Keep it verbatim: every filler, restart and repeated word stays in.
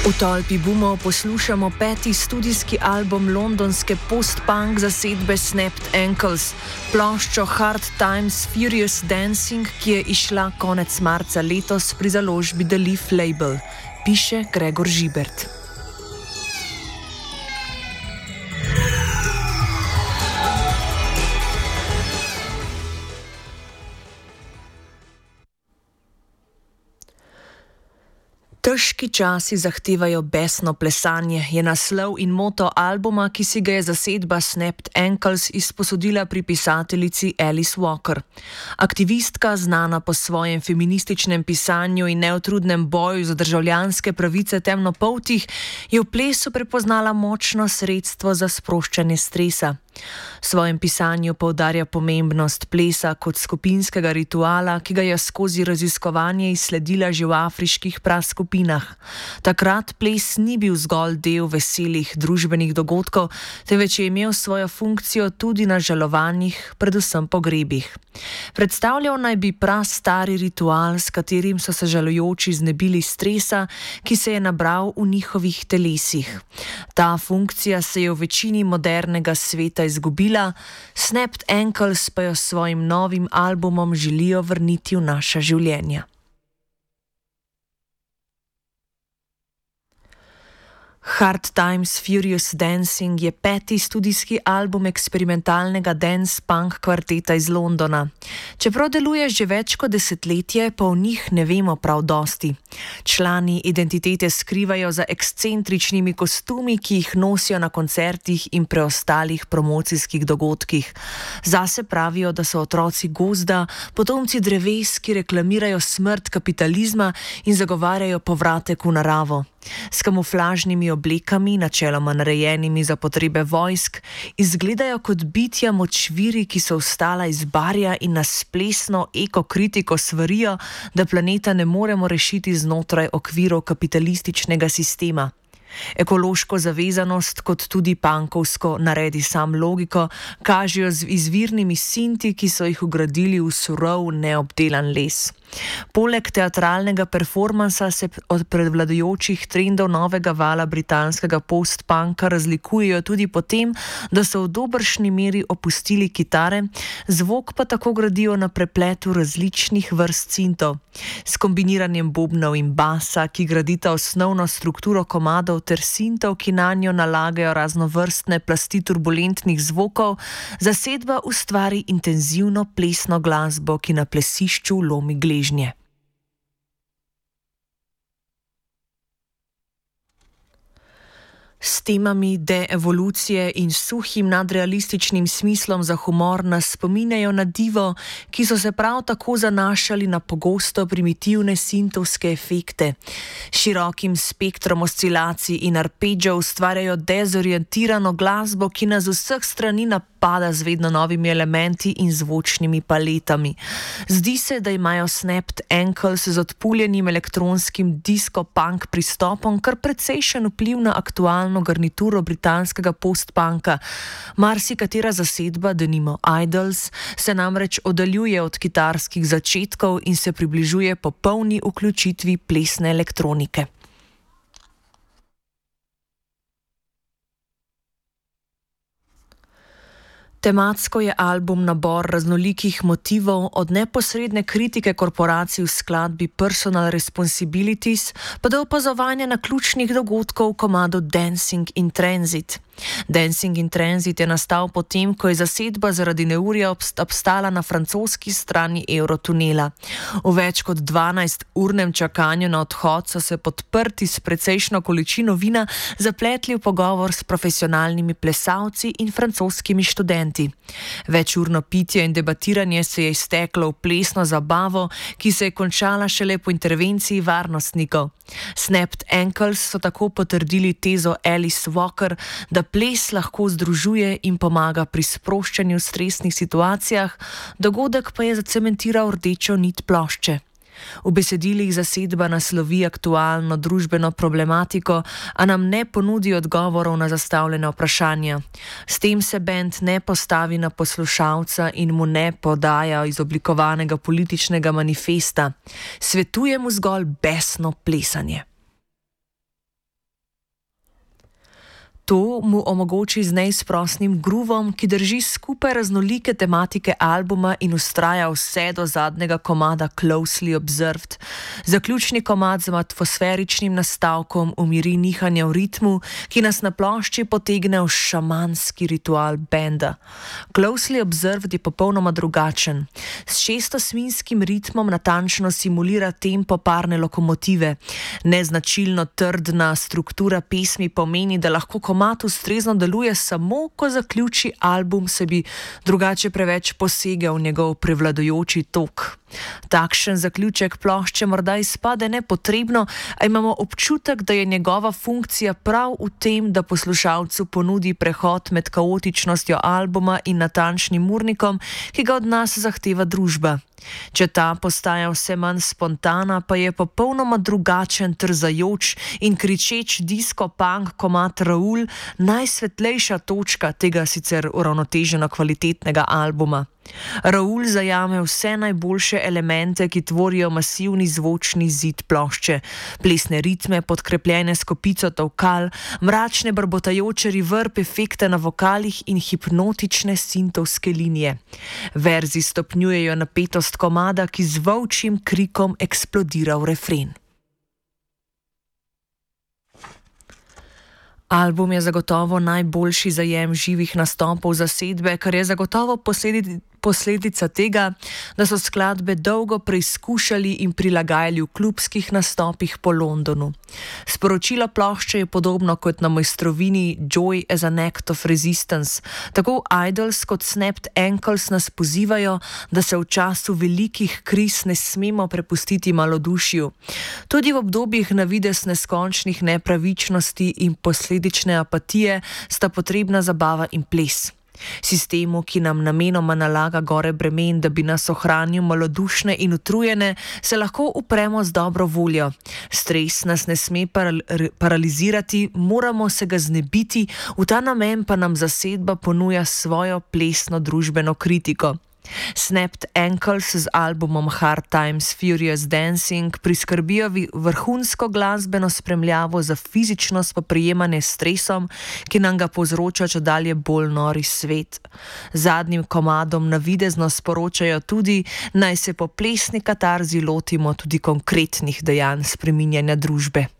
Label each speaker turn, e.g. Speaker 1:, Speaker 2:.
Speaker 1: V tolpi bumov poslušamo peti studijski album londonske post-punk zasedbe Snapped Ankles, ploščo Hard Times Furious Dancing, ki je izšla konec marca letos pri založbi The Leaf Label, piše Gregor Žibert. Težki časi zahtevajo besno plesanje, je naslov in moto albuma, ki si ga je zasedba Snapped Ankles izposodila pri pisateljici Alice Walker. Aktivistka, znana po svojem feminističnem pisanju in neutrudnem boju za državljanske pravice temnopoltih, je v plesu prepoznala močno sredstvo za sproščanje stresa. V svojem pisanju poudarja pomembnost plesa kot skupinskega rituala, ki ga je skozi raziskovanje izsledila že v afriških praskupinah. Takrat ples ni bil zgolj del veselih družbenih dogodkov, temveč je imel svojo funkcijo tudi na žalovanjih, predvsem pogrebih. Predstavljal naj bi prastari ritual, s katerim so se žalujoči znebili stresa, ki se je nabral v njihovih telesih. Ta funkcija se je v večini modernega sveta izgubila, Snapped Ankles pa jo s svojim novim albumom želijo vrniti v naša življenja. Hard Times Furious Dancing je peti studijski album eksperimentalnega dance-punk kvarteta iz Londona. Čeprav deluje že več kot desetletje, pa o njih ne vemo prav dosti. Člani identitete skrivajo za ekscentričnimi kostumi, ki jih nosijo na koncertih in preostalih promocijskih dogodkih. Zase pravijo, da so otroci gozda, potomci dreves, ki reklamirajo smrt kapitalizma in zagovarjajo povratek v naravo. S kamuflažnimi oblekami, načeloma narejenimi za potrebe vojsk, izgledajo kot bitja močviri, ki so vstala iz barja in nas plesno ekokritiko svarijo, da planeta ne moremo rešiti znotraj okvirov kapitalističnega sistema. Ekološko zavezanost, kot tudi punkovsko naredi sam logiko, kažejo z izvirnimi sinti, ki so jih vgradili v surov, neobdelan les. Poleg teatralnega performansa se od prevladujočih trendov novega vala britanskega post-punka razlikujejo tudi po tem, da so v dobršni meri opustili kitare, zvok pa tako gradijo na prepletu različnih vrst sintov. S kombiniranjem bobnov in basa, ki gradita osnovno strukturo komadov, ter sintov, ki nanjo nalagajo raznovrstne plasti turbulentnih zvokov, zasedba ustvari intenzivno plesno glasbo, ki na plesišču lomi gležnje. S temami deevolucije in suhim nadrealističnim smislom za humor nas spominjajo na divo, ki so se prav tako zanašali na pogosto primitivne sintovske efekte. Širokim spektrom oscilacij in arpeggijev ustvarjajo dezorientirano glasbo, ki nas z vseh strani napada z vedno novimi elementi in zvočnimi paletami. Zdi se, da imajo Snapped Ankles z odpuljenim elektronskim disco-punk pristopom kar precejšen vpliv na aktualno garnituro britanskega post-punka. Marsikatera zasedba, denimo Idols, se namreč oddaljuje od kitarskih začetkov in se približuje popolni vključitvi plesne elektronike. Tematsko je album nabor raznolikih motivov, od neposredne kritike korporacij v skladbi Personal Responsibilities pa do opazovanja naključnih dogodkov v komadu Dancing in Transit. Dancing in Transit je nastal potem, ko je zasedba zaradi neurja obstala na francoski strani Eurotunela. V več kot dvanajsturnem čakanju na odhod so se podprti s precejšno količino vina zapletli v pogovor s profesionalnimi plesalci in francoskimi študenti. Večurno pitje in debatiranje se je izteklo v plesno zabavo, ki se je končala šele po intervenciji varnostnikov. Snapped Ankles so tako potrdili tezo Alice Walker, da ples lahko združuje in pomaga pri sproščanju v stresnih situacijah, dogodek pa je zacementiral rdečo nit plošče. V besedilih zasedba naslovi aktualno družbeno problematiko, a nam ne ponudi odgovorov na zastavljena vprašanja. S tem se bend ne postavi na poslušalca in mu ne podaja izoblikovanega političnega manifesta. manifesta. Svetuje mu zgolj besno plesanje. To mu omogoči z neizprosnim groovom, ki drži skupaj raznolike tematike albuma in ustraja vse do zadnjega komada Closely Observed. Zaključni komad z atmosferičnim nastavkom umiri nihanja v ritmu, ki nas na plošči potegne v šamanski ritual benda. Closely Observed je popolnoma drugačen. S šestosminskim ritmom natančno simulira tempo parne lokomotive. Neznačilno trdna struktura pesmi pomeni, da lahko komad ustrezno deluje samo, ko zaključi album, se bi drugače preveč posegel v njegov prevladujoči tok. Takšen zaključek plošče morda izpade nepotrebno, a imamo občutek, da je njegova funkcija prav v tem, da poslušalcu ponudi prehod med kaotičnostjo albuma in natančnim urnikom, ki ga od nas zahteva družba. Če ta postaja vse manj spontana, pa je popolnoma drugačen, trzajoč in kričeč disco-punk komad Raul najsvetlejša točka tega sicer uravnoteženo kvalitetnega albuma. Raul zajame vse najboljše elemente, ki tvorijo masivni zvočni zid plošče. Plesne ritme, podkrepljene s kopico tolkal, mračne brbotajoče reverb efekte na vokalih in hipnotične sintovske linije. Verzi stopnjujejo napetost komada, ki z volčjim krikom eksplodira v refren. Album je zagotovo najboljši zajem živih nastopov zasedbe, kar je zagotovo posledi, posledica tega, da so skladbe dolgo preizkušali in prilagajali v klubskih nastopih po Londonu. Sporočilo plošče je podobno kot na mojstrovini Joy as an Act of Resistance. Tako Idols kot Snapped Ankles nas pozivajo, da se v času velikih kriz ne smemo prepustiti malodušju. Tudi v obdobjih navidez neskončnih nepravičnosti in posledične apatije sta potrebna zabava in ples. Sistemu, ki nam namenoma nalaga gore bremen, da bi nas ohranil malodušne in utrujene, se lahko upremo z dobro voljo. Stres nas ne sme paral paralizirati, moramo se ga znebiti, v ta namen pa nam zasedba ponuja svojo plesno družbeno kritiko. Snapped Ankles z albumom Hard Times Furious Dancing priskrbijo vrhunsko glasbeno spremljavo za fizično spoprijemanje s stresom, ki nam ga povzroča čedalje bolj nori svet. Zadnjim komadom navidezno sporočajo tudi, naj se po plesni katarzi lotimo tudi konkretnih dejanj spreminjanja družbe.